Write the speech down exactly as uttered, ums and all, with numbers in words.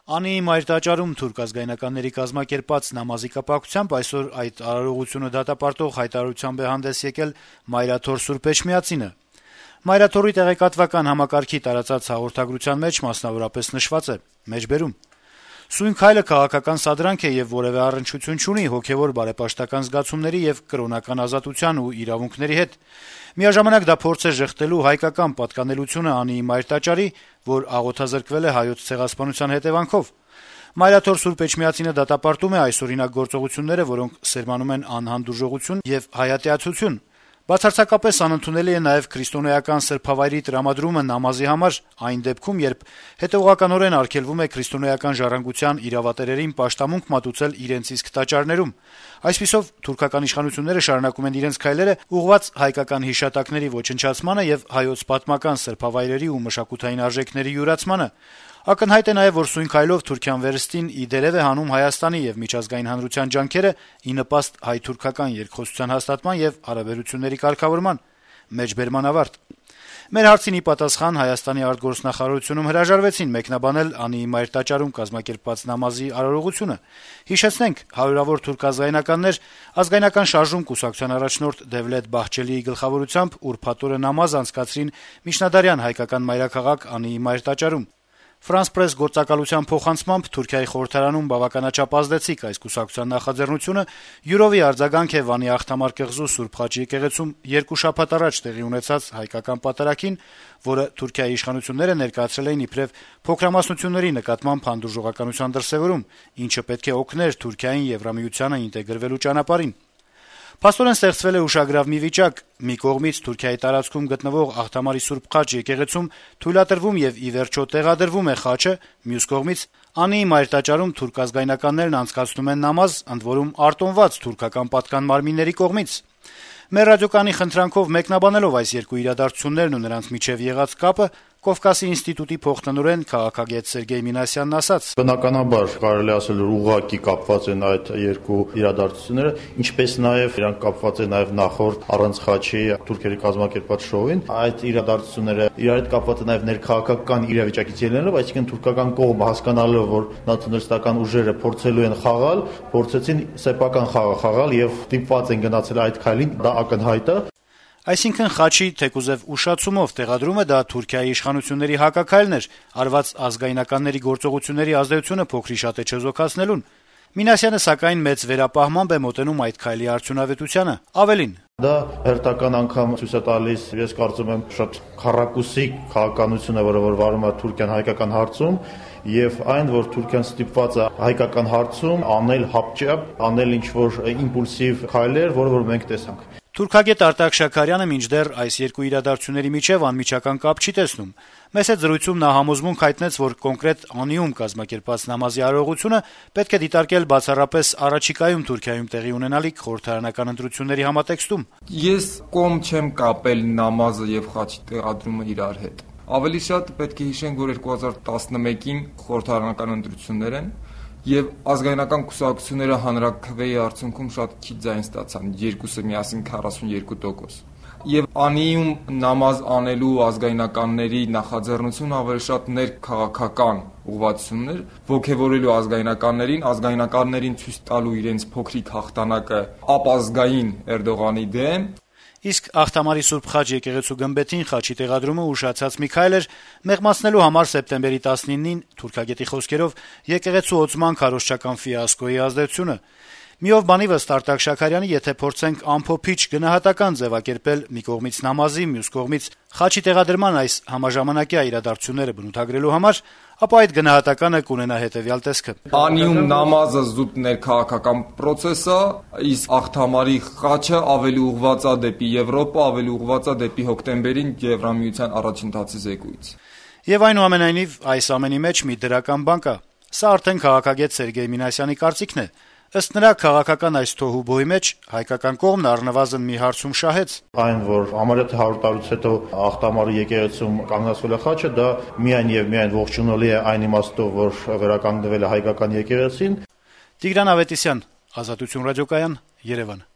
Անիի մայրտաճարում թուրք ազգայնականների կազմակերպած նամազի կապակցությամբ այսօր այդ արարողությունը դատապարտող հայտարարությամբ է հանդես եկել Մայրաթոր Սուրբ Էջմիածինը։ Մայրաթորի տեղեկատվական համակարգի տարածած հաղորդագրության մեջ մասնավորապես նշված է. մեջբերում Սույն քայլը քաղաքական սադրանք է եւ որեւէ առնչություն չունի հոգեվոր բարեպաշտական զգացումների եւ կրոնական ազատության ու իրավունքների հետ։ Միաժամանակ դա փորձ է ժխտելու հայկական պատկանելությունը Անիի մայրտաճարի, որ աղոթազրկվել է հայոց ցեղասպանության հետեւանքով։ Մայրաթոր Սուրբ Էջմիածինը դատապարտում է այսօրինակ գործողությունները, որոնք սերմանում են անհանդուրժողություն եւ հայատյացություն։ Բացարձակապես անընդունելի է նաեւ քրիստոնեական սրբավայրի տրամադրումը նամազի համար այն դեպքում, երբ հետեւողականորեն արգելվում է քրիստոնեական ժառանգության իրավատերերին պաշտամունք մատուցել իրենց իսկ տաճարներում։ Այսպիսով թուրքական իշխանությունները շարունակում են իրենց քայլերը ուղղված հայկական հիշատակների ոչնչացմանը եւ հայոց պատմական սրբավայրերի ու մշակութային արժեքների յուրացմանը։ Ակնհայտ է նաեւ, որ սույն քայլով Թուրքիան վերստին ի դերև է հանում Հայաստանի եւ միջազգային հանրության ջանքերը ի նպաստ հայ-թուրքական երկխոսության հաստատման եւ հարաբերությունների կարգավորման։ Մեջբերման ավարտ։ Մեր հարցին ի պատասխան Հայաստանի արտգործնախարարությունում հրաժարվեցին մեկնաբանել Անիի մայրտաճարում կազմակերպված նամազի արարողությունը։ Հիշեցնենք, հարյուրավոր թուրք ազգայնականներ ազգայնական շարժում կուսակցության առաջնորդ Դևլետ Բահչելիի գլխավորությամբ ուրբաթ օրը նամազ անցկացրին միջնադարյան հայկական մայրաքաղաք Անիի մայրտաճարում։ France Press գործակալության փոխանցմամբ Թուրքիայի խորհրդարանում բավականաչափ ազդեցիկ այս կուսակցության նախաձեռնությունը յուրովի արձագանք է Վանի Աղթամար կղզու Սուրբ Խաչի եկեղեցում երկու շաբաթ առաջ տեղի ունեցած հայկական պատարագին, որը Թուրքիայի իշխանությունները ներկայացրել էին իբրև փոքրամասնությունների նկատմամբ հանդուրժողականության դրսեւորում, ինչը պետք է օգներ Թուրքիային Եվրամիությանը ինտեգրվելու ճանապարհին։ Փաստորեն ստեղծվել է ուշագրավ մի վիճակ. մի կողմից Թուրքիայի տարածքում գտնվող Աղթամարի Սուրբ Խաչ եկեղեցում թույլատրվում եւ ի վերջո տեղադրվում է խաչը, մյուս կողմից Անիի մայրտաճարում թուրք ազգայնականներն անցկացնում են նամազ, ընդ որում արտոնված թուրքական պատկան մարմինների կողմից։ Մեր ռադիոկայանի խնդրանքով մեկնաբանելով այս երկու իրադարձություններն ու նրանց միջև եղած կապը, Կովկասի ինստիտուտի փոխտնօրեն քաղաքագետ Սերգեյ Մինասյանն ասաց. Բնականաբար կարելի ասել որ ուղղակի կապված են այդ երկու իրադարձությունները, ինչպես նաեւ իրանք կապված են նաեւ նախորդ առանց խաչի թուրքերի կազմակերպած շոուին։ Այդ իրադարձությունները իրար հետ կապված են նաեւ ներքաղաքական իրավիճակից ելնելով, այսինքն թուրքական կողմը հասկանալով, որ նացիոնալիստական ուժերը փորձելու են խաղալ, փորձեցին սեփական խաղ խաղալ եւ դիպված են գնացել այդ քայլին, դա ակնհայտ է։ Այսինքն խաչի թեկուզեւ ուշացումով տեղադրումը դա Թուրքիայի իշխանությունների հակաքայլն էր, արված ազգայնականների գործողությունների ազդեցությունը փոքրիշատ է չեզոքացնելուն։ Մինասյանը սակայն մեծ վերապահմամբ է մոտենում այդ քայլի արդյունավետությանը։ Ավելին. Դա հերթական անգամ ցույց է տալիս, ես կարծում եմ, շատ քառակուսի քաղաքականությունը, որը որ վարում է Թուրքիան հայկական հարցում, եւ այն, որ Թուրքիան ստիպված է հայկական հարցում անել հապճապ, անել ինչ-որ իմպուլսիվ քայլեր, որը որ մենք տեսանք։ Թուրքագետ Արտակ Շաքարյանը մինչդեռ այս երկու իրադարձությունների միջև անմիջական կապ չի տեսնում։ Մեծ է զրույցում նա համոզմունք հայտնեց, որ կոնկրետ Անիում կազմակերպած նամազի արարողությունը պետք է դիտարկել բացառապես առաջիկայում Թուրքիայում տեղի ունենալիք խորհրդարանական ընտրությունների համատեքստում։ Ես կողմ չեմ կապել նամազը եւ խաչի տեղադրումը իրար հետ։ Ավելի շատ պետք է հիշենք, որ երկու հազար տասնմեկին խորհրդարանական ընտրություններ են եւ ազգայնական կուսակցությունները հանրաքվեի արդյունքում շատ քիչ ձայն ստացան, երկուսը միասին քառասունյոթ տոկոս։ Եվ Անիում նամազ անելու ազգայնականների նախաձեռնությունը ավելի շատ ներքաղաքական ուղղվածություններ, ողջևորելու ազգայնականներին, ազգայնականներին ցույց տալու իրենց փոքրիկ հաղթանակը ապազգային Էրդողանի դեմ։ Իսկ Աղթամարի Սուրբ Խաչ եկեղեցու գմբեթին խաչի տեղադրումը ուշացած մի քայլ էր մեղմացնելու համար սեպտեմբերի տասնինին թուրքագետի խոսքերով եկեղեցու օծման քարոզչական ֆիասկոյի ազդեցությունը։ Միով բանի վստ Արտակ Շաքարյանի, եթե փորձենք ամփոփիչ գնահատական ձևակերպել մի կողմից նամազի, մյուս կողմից խաչի տեղադրման այս համաժամանակյա իրադարձությունները բնութագրելու համար, ապա այդ գնահատականը կունենա հետեւյալ տեսքը. Անիում նամազը զուտ ներքաղաքական պրոցես է, իսկ Աղթամարի խաչը ավելի ուղղված է դեպի Եվրոպա, ավելի ուղղված է դեպի հոկտեմբերին Եվրամիության առաջընթացի զեկույց։ Եվ այնուամենայնիվ այս ամենի մեջ մի դրական բան կա։ Սա արդեն քաղաքագետ Սերգեյ Մինասյանի կարծիքն է։ Ըստ նրա քաղաքական այս թոհուբոհի մեջ հայկական կողմն առնվազն մի հարցում շահեց. Այն, որ համարյա հարյուր տարուց հետո Աղթամարի եկեղեցում կանգնացվել է խաչը, դա միայն եւ միայն ողջունելի է այն իմաստով, որ վերականգնվել է հայկական եկեղեցին։ Տիգրան Ավետիսյան, Ազատություն ռադիոկայան, Երևան։